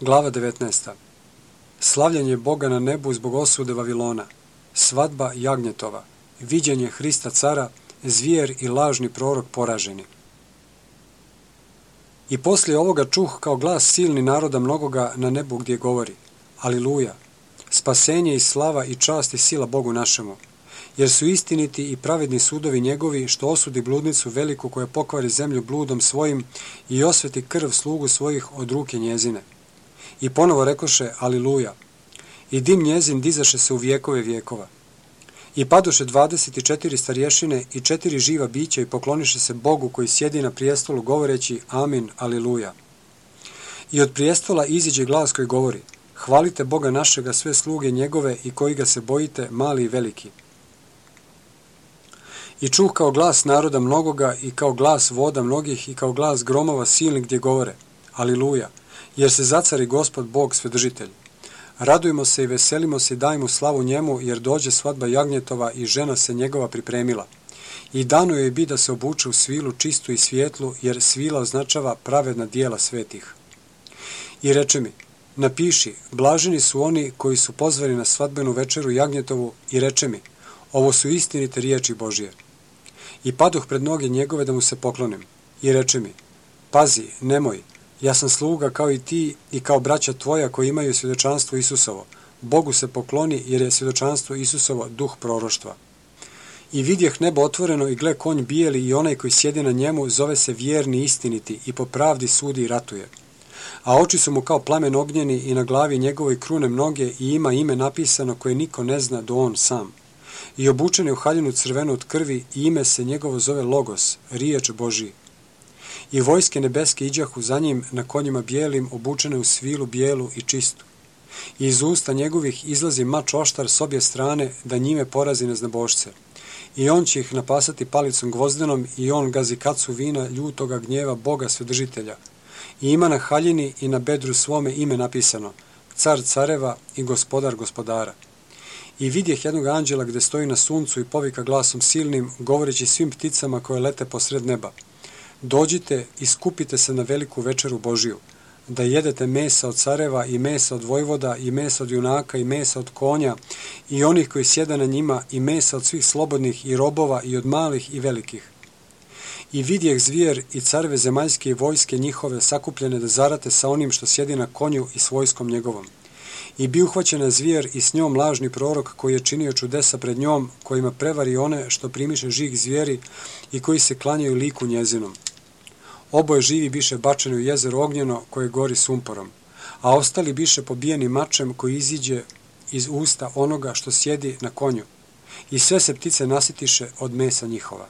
Glava 19. Slavljenje Boga na nebu zbog osude Vavilona, svadba jagnjetova, viđenje Hrista cara, zvijer i lažni prorok poraženi. I poslije ovoga čuh kao glas silni naroda mnogoga na nebu gdje govori: Aliluja, spasenje i slava i čast i sila Bogu našemu, jer su istiniti i pravedni sudovi njegovi, što osudi bludnicu veliku koja pokvari zemlju bludom svojim i osveti krv slugu svojih od ruke njezine. I ponovo rekoše: Aliluja, i dim njezin dizaše se u vjekove vjekova. I padoše 24 starješine i 4 živa bića i pokloniše se Bogu koji sjedi na prijestolu govoreći: Amin, Aliluja. I od prijestola iziđe glas koji govori: Hvalite Boga našega sve sluge njegove i koji ga se bojite, mali i veliki. I čuh kao glas naroda mnogoga i kao glas voda mnogih i kao glas gromova silnih gdje govore: Aliluja, jer se zacari Gospod Bog Svedržitelj. Radujmo se i veselimo se i dajmo slavu njemu, jer dođe svadba jagnjetova i žena se njegova pripremila. I dano joj bi da se obuče u svilu čistu i svijetlu, jer svila označava pravedna dijela svetih. I reče mi: Napiši, blaženi su oni koji su pozvani na svadbenu večeru jagnjetovu, i reče mi: Ovo su istinite riječi Božije. I padoh pred noge njegove da mu se poklonim. I reče mi: Pazi, nemoj, ja sam sluga kao i ti i kao braća tvoja koji imaju svjedočanstvo Isusovo. Bogu se pokloni, jer je svjedočanstvo Isusovo duh proroštva. I vidjeh nebo otvoreno i gle konj bijeli i onaj koji sjedi na njemu zove se vjerni i istiniti i po pravdi sudi i ratuje. A oči su mu kao plamen ognjeni i na glavi njegovoj krune mnoge i ima ime napisano koje niko ne zna do on sam. I obučen je u haljinu crvenu od krvi i ime se njegovo zove Logos, riječ Božiji. I vojske nebeske iđahu za njim na konjima bijelim, obučene u svilu bijelu i čistu. I iz usta njegovih izlazi mač oštar s obje strane da njime porazi neznabošce. I on će ih napasati palicom gvozdenom i on gazi kacu vina ljutoga gnjeva Boga Svedržitelja. I ima na haljini i na bedru svome ime napisano: Car careva i gospodar gospodara. I vidjeh jednog anđela gdje stoji na suncu i povika glasom silnim, govoreći svim pticama koje lete posred neba: Dođite i skupite se na veliku večeru Božiju, da jedete mesa od careva i mesa od vojvoda i mesa od junaka i mesa od konja i onih koji sjede na njima i mesa od svih slobodnih i robova i od malih i velikih. I vidjeh zvijer i careve zemaljske i vojske njihove sakupljene da zarate sa onim što sjedi na konju i s vojskom njegovom. I bi uhvaćena zvijer i s njom lažni prorok koji je činio čudesa pred njom, kojima prevari one što primiše žig zvijeri i koji se klanjaju liku njezinom. Oboje živi biše bačeni u jezero ognjeno koje gori sumporom, a ostali biše pobijeni mačem koji iziđe iz usta onoga što sjedi na konju. I sve se ptice nasitiše od mesa njihova.